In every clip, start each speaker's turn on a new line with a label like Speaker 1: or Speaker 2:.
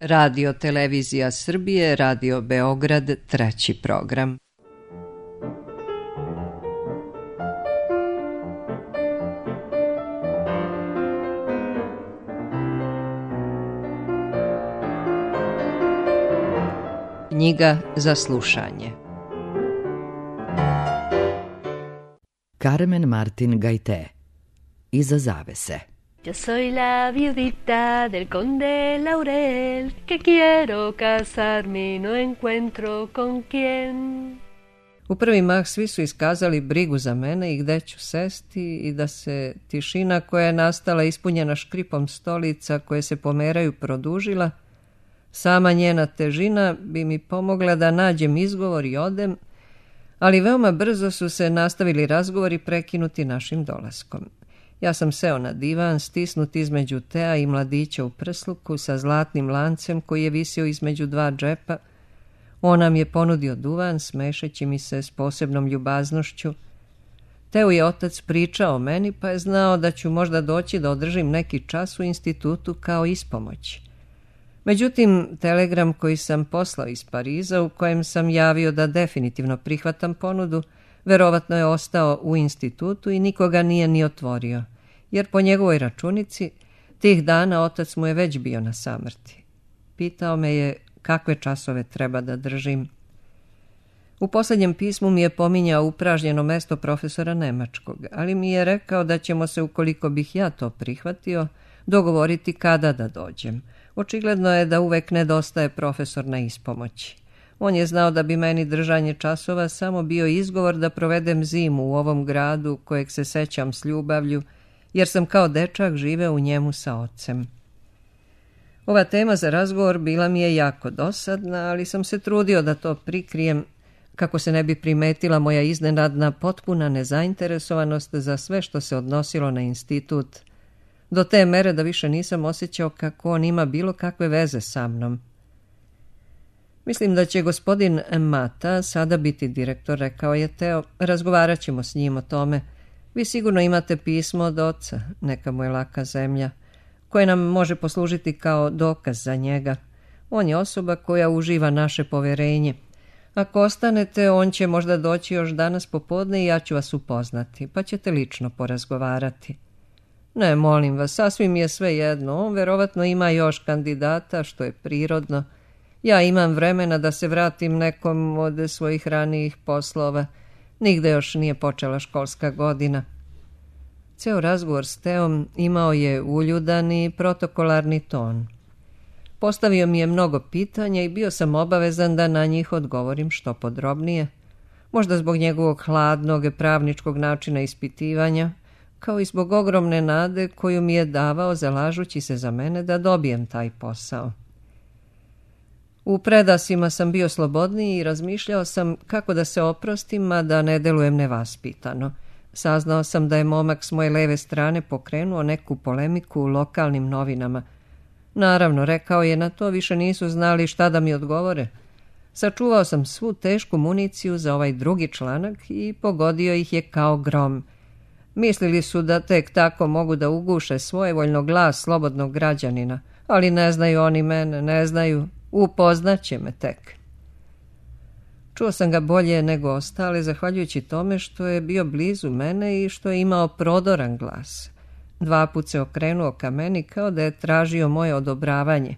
Speaker 1: Radio Televizija Srbije, Radio Beograd, 3. program. Knjiga za slušanje.
Speaker 2: Carmen Martin Gaité. Iza zavese.
Speaker 3: Yo soy la viudita del conde Laurel, que quiero casarme y no encuentro con quién.
Speaker 1: U prvi mah svi su iskazali brigu za mene i gde ću sesti i da se tišina koja je nastala ispunjena škripom stolica koje se pomeraju produžila, sama njena težina bi mi pomogla da nađem izgovor i odem, ali veoma brzo su se nastavili razgovori prekinuti našim dolaskom. Ja sam seo na divan, stisnut između Tea i mladića u prsluku sa zlatnim lancem koji je visio između dva džepa. On nam je ponudio duvan, smešeći mi se s posebnom ljubaznošću. Teo je otac pričao o meni, pa je znao da ću možda doći da održim neki čas u institutu kao ispomoć. Međutim, telegram koji sam poslao iz Pariza, u kojem sam javio da definitivno prihvatam ponudu, verovatno je ostao u institutu i nikoga nije ni otvorio, jer po njegovoj računici tih dana otac mu je već bio na samrti. Pitao me je kakve časove treba da držim. U posljednjem pismu mi je pominjao upražnjeno mesto profesora nemačkog, ali mi je rekao da ćemo se, ukoliko bih ja to prihvatio, dogovoriti kada da dođem. Očigledno je da uvek nedostaje profesor na ispomoći. On je znao da bi meni držanje časova samo bio izgovor da provedem zimu u ovom gradu kojeg se sećam s ljubavlju, jer sam kao dečak živeo u njemu sa ocem. Ova tema za razgovor bila mi je jako dosadna, ali sam se trudio da to prikrijem kako se ne bi primetila moja iznenadna potpuna nezainteresovanost za sve što se odnosilo na institut, do te mere da više nisam osjećao kako on ima bilo kakve veze sa mnom. Mislim da će gospodin Mata sada biti direktor, rekao je Teo. Razgovarat ćemo s njim o tome. Vi sigurno imate pismo od oca, neka mu je laka zemlja, koje nam može poslužiti kao dokaz za njega. On je osoba koja uživa naše poverenje. Ako ostanete, on će možda doći još danas popodne i ja ću vas upoznati, pa ćete lično porazgovarati. Ne, molim vas, sasvim je sve jedno. On verovatno ima još kandidata, što je prirodno. Ja imam vremena da se vratim nekom od svojih ranijih poslova. Nigde još nije počela školska godina. Ceo razgovor s Teom imao je uljudan i protokolarni ton. Postavio mi je mnogo pitanja i bio sam obavezan da na njih odgovorim što podrobnije. Možda zbog njegovog hladnog pravničkog načina ispitivanja, kao i zbog ogromne nade koju mi je davao zalažući se za mene da dobijem taj posao. U predasima sam bio slobodniji i razmišljao sam kako da se oprostim, a da ne delujem nevaspitano. Saznao sam da je momak s moje leve strane pokrenuo neku polemiku u lokalnim novinama. Naravno, rekao je, na to više nisu znali šta da mi odgovore. Sačuvao sam svu tešku municiju za ovaj drugi članak i pogodio ih je kao grom. Mislili su da tek tako mogu da uguše svojevoljno glas slobodnog građanina, ali ne znaju oni mene, ne znaju, upoznaće me tek. Čuo sam ga bolje nego ostale, zahvaljujući tome što je bio blizu mene i što je imao prodoran glas. 2 put se okrenuo ka meni kao da je tražio moje odobravanje.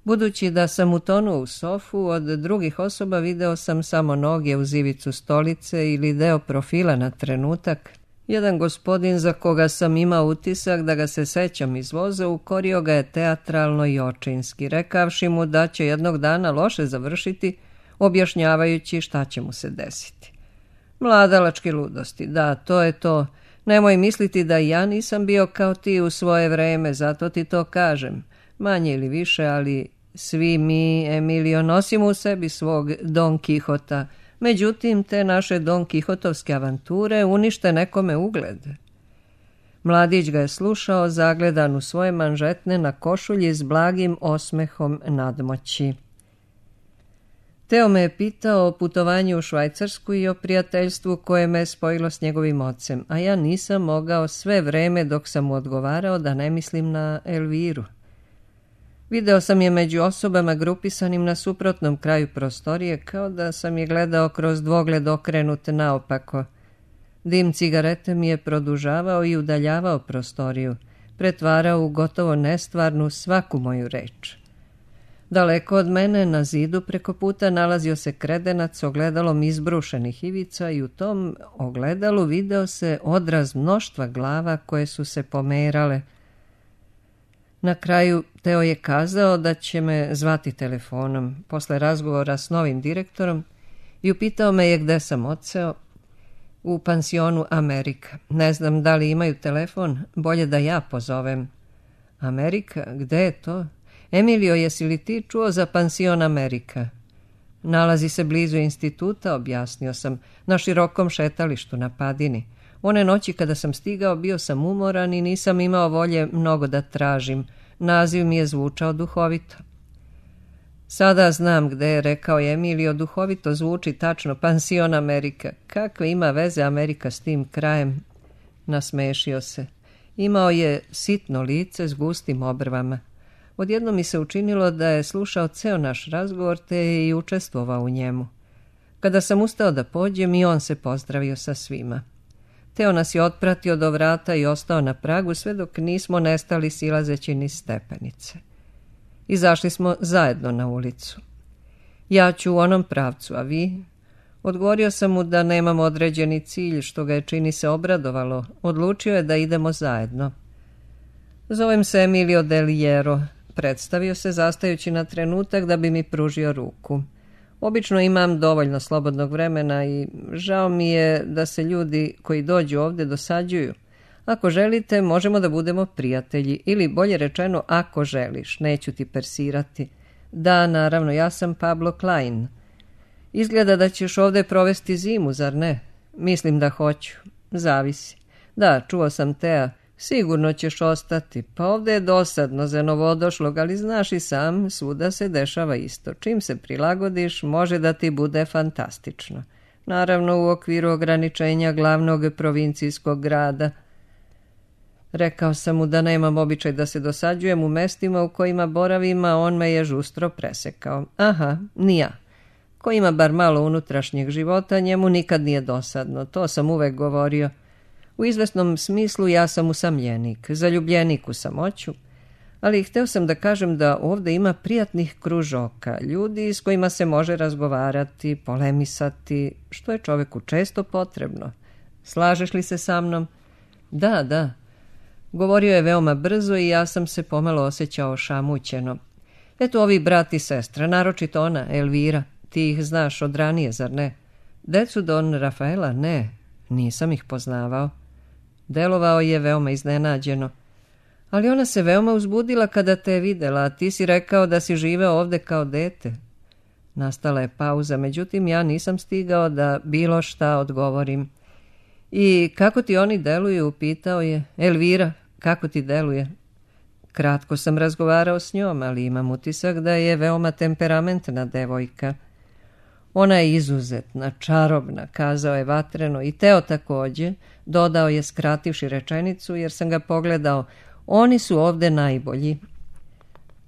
Speaker 1: Budući da sam utonuo u sofu, od drugih osoba video sam samo noge uz ivicu stolice ili deo profila na trenutak. Jedan gospodin za koga sam imao utisak da ga se sećam iz voza ukorio ga je teatralno i očinski, rekavši mu da će jednog dana loše završiti, objašnjavajući šta će mu se desiti. Mladalačke ludosti, da, to je to. Nemoj misliti da ja nisam bio kao ti u svoje vreme, zato ti to kažem. Manje ili više, ali svi mi, Emilio, nosimo u sebi svog Don Kihota. Međutim, te naše Don Kihotovske avanture unište nekome ugled. Mladić ga je slušao, zagledan u svoje manžetne na košulji s blagim osmehom nadmoći. Teo me je pitao o putovanju u Švajcarsku i o prijateljstvu koje me spojilo s njegovim ocem, a ja nisam mogao sve vreme dok sam mu odgovarao da ne mislim na Elviru. Video sam je među osobama grupisanim na suprotnom kraju prostorije, kao da sam je gledao kroz dvogled okrenut naopako. Dim cigarete mi je produžavao i udaljavao prostoriju, pretvarao u gotovo nestvarnu svaku moju reč. Daleko od mene, na zidu preko puta, nalazio se kredenac s ogledalom izbrušenih ivica i u tom ogledalu video se odraz mnoštva glava koje su se pomerale. Na kraju Teo je kazao da će me zvati telefonom posle razgovora s novim direktorom i upitao me je gde sam odseo. U pansionu Amerika. Ne znam da li imaju telefon, bolje da ja pozovem. Amerika? Gde je to? Emilio, jesi li ti čuo za pansion Amerika? Nalazi se blizu instituta, objasnio sam, na širokom šetalištu na Padini. One noći kada sam stigao bio sam umoran i nisam imao volje mnogo da tražim. Naziv mi je zvučao duhovito. Sada znam gde je, rekao je Emilio, duhovito zvuči tačno, pansion Amerika. Kakve ima veze Amerika s tim krajem? Nasmešio se. Imao je sitno lice s gustim obrvama. Odjedno mi se učinilo da je slušao ceo naš razgovor te je i učestvovao u njemu. Kada sam ustao da pođem i on se pozdravio sa svima. Teo nas je otpratio do vrata i ostao na pragu sve dok nismo nestali silazeći niz stepenice. Izašli smo zajedno na ulicu. Ja ću u onom pravcu, a vi? Odgovorio sam mu da nemam određeni cilj, što ga je čini se obradovalo. Odlučio je da idemo zajedno. Zovem se Emilio Del Hierro. Predstavio se zastajući na trenutak da bi mi pružio ruku. Obično imam dovoljno slobodnog vremena i žao mi je da se ljudi koji dođu ovdje dosađuju. Ako želite, možemo da budemo prijatelji, ili bolje rečeno, ako želiš, neću ti persirati. Da, naravno, ja sam Pablo Klein. Izgleda da ćeš ovdje provesti zimu, zar ne? Mislim da hoću. Zavisi. Da, čuo sam Tea. Sigurno ćeš ostati. Pa ovdje je dosadno za novodošlog, ali znaš i sam, svuda se dešava isto. Čim se prilagodiš, može da ti bude fantastično. Naravno, u okviru ograničenja glavnog provincijskog grada. Rekao sam mu da nemam običaj da se dosađujem u mestima u kojima boravim, a on me je žustro presekao. Aha, ni ja. Ko ima bar malo unutrašnjeg života, njemu nikad nije dosadno. To sam uvek govorio. U izvesnom smislu ja sam usamljenik, zaljubljenik u samoću, ali hteo sam da kažem da ovdje ima prijatnih kružoka, ljudi s kojima se može razgovarati, polemisati, što je čoveku često potrebno. Slažeš li se sa mnom? Da, da. Govorio je veoma brzo i ja sam se pomalo osjećao šamućeno. Eto ovi brat i sestra, naročito ona, Elvira, ti ih znaš od ranije, zar ne? Decu Don Rafaela? Ne, nisam ih poznavao. Delovao je veoma iznenađeno. Ali ona se veoma uzbudila kada te je videla, a ti si rekao da si živeo ovdje kao dete. Nastala je pauza, međutim ja nisam stigao da bilo šta odgovorim. I kako ti oni deluju, pitao je. Elvira, kako ti deluje? Kratko sam razgovarao s njom, ali imam utisak da je veoma temperamentna devojka. Ona je izuzetna, čarobna, kazao je vatreno, i Teo također, dodao je skrativši rečenicu jer sam ga pogledao. Oni su ovdje najbolji.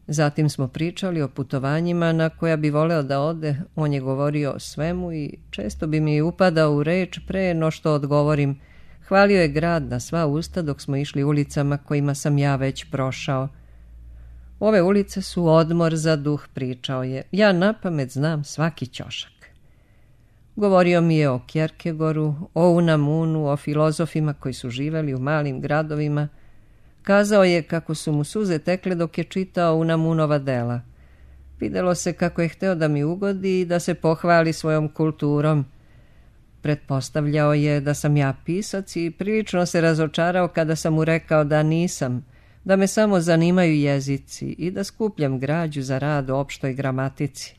Speaker 1: Zatim smo pričali o putovanjima na koja bi voleo da ode. On je govorio o svemu i često bi mi upadao u reč pre no što odgovorim. Hvalio je grad na sva usta dok smo išli ulicama kojima sam ja već prošao. Ove ulice su odmor za duh, pričao je. Ja napamet znam svaki ćošak. Govorio mi je o Kierkegaardu, o Unamunu, o filozofima koji su živeli u malim gradovima. Kazao je kako su mu suze tekle dok je čitao Unamunova dela. Videlo se kako je hteo da mi ugodi i da se pohvali svojom kulturom. Pretpostavljao je da sam ja pisac i prilično se razočarao kada sam mu rekao da nisam, da me samo zanimaju jezici i da skupljam građu za rad o opštoj gramatici.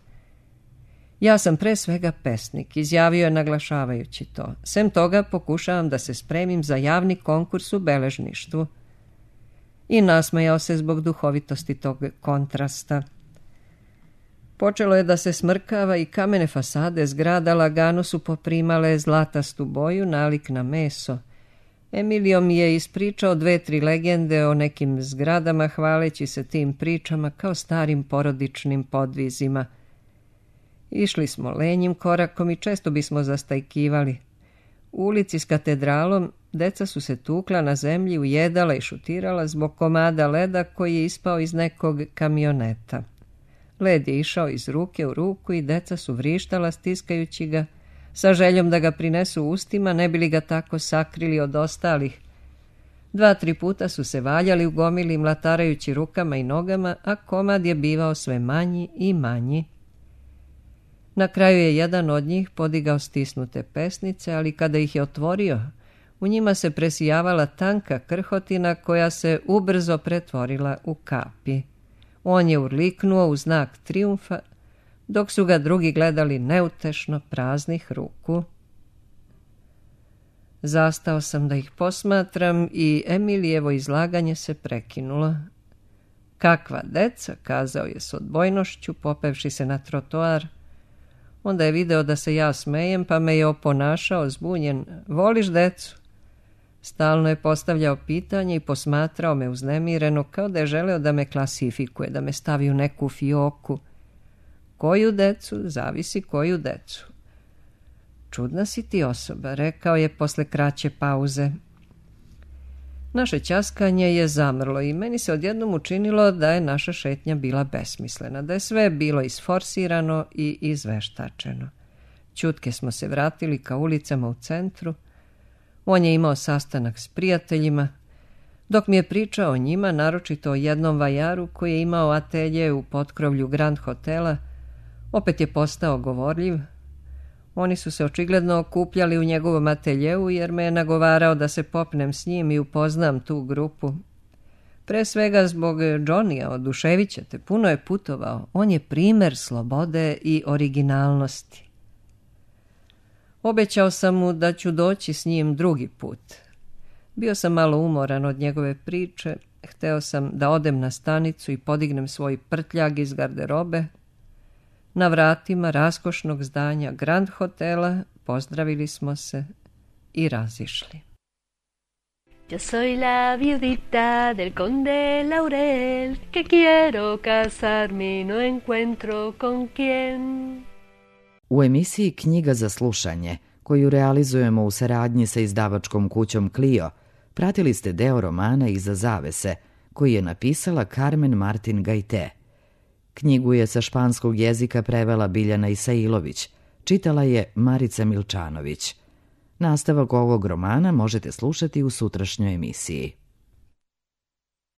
Speaker 1: Ja sam pre svega pesnik, izjavio je naglašavajući to. Sem toga pokušavam da se spremim za javni konkurs u beležništvu. I nasmejao se zbog duhovitosti tog kontrasta. Počelo je da se smrkava i kamene fasade zgrada lagano su poprimale zlatastu boju, nalik na meso. Emilio mi je ispričao 2-3 legende o nekim zgradama, hvaleći se tim pričama kao starim porodičnim podvizima. Išli smo lenjim korakom i često bismo zastajkivali. U ulici s katedralom deca su se tukla na zemlji, ujedala i šutirala zbog komada leda koji je ispao iz nekog kamioneta. Led je išao iz ruke u ruku i deca su vrištala stiskajući ga, sa željom da ga prinesu ustima, ne bi li ga tako sakrili od ostalih. 2-3 puta su se valjali u gomili, mlatarajući rukama i nogama, a komad je bivao sve manji i manji. Na kraju je jedan od njih podigao stisnute pesnice, ali kada ih je otvorio, u njima se presijavala tanka krhotina koja se ubrzo pretvorila u kapi. On je urliknuo u znak trijumfa, dok su ga drugi gledali neutešno praznih ruku. Zastao sam da ih posmatram i Emilijevo izlaganje se prekinulo. Kakva deca, kazao je s odbojnošću, popevši se na trotoar. Onda je video da se ja smejem, pa me je oponašao zbunjen. Voliš decu? Stalno je postavljao pitanje i posmatrao me uznemireno, kao da je želeo da me klasifikuje, da me stavi u neku fioku. Koju decu? Zavisi koju decu. Čudna si ti osoba, rekao je posle kraće pauze. Naše ćaskanje je zamrlo i meni se odjednom učinilo da je naša šetnja bila besmislena, da je sve bilo isforsirano i izveštačeno. Ćutke smo se vratili ka ulicama u centru. On je imao sastanak s prijateljima. Dok mi je pričao o njima, naročito o jednom vajaru koji je imao atelje u potkrovlju Grand Hotela, opet je postao govorljiv. Oni su se očigledno okupljali u njegovom ateljeu jer me je nagovarao da se popnem s njim i upoznam tu grupu. Pre svega zbog Johnnyja, oduševit ćete, puno je putovao. On je primer slobode i originalnosti. Obećao sam mu da ću doći s njim drugi put. Bio sam malo umoran od njegove priče. Hteo sam da odem na stanicu i podignem svoj prtljag iz garderobe. Na vratima raskošnog zdanja Grand Hotela pozdravili smo se i razišli.
Speaker 3: Yo soy la viudita del conde Laurel, que quiero casarme y no encuentro con quién.
Speaker 2: U emisiji Knjiga za slušanje, koju realizujemo u saradnji sa izdavačkom kućom Clio, pratili ste deo romana Iza zavese, koji je napisala Carmen Martin Gajte. Knjigu je sa španskog jezika prevela Biljana Isailović, čitala je Marica Milčanović. Nastavak ovog romana možete slušati u sutrašnjoj emisiji.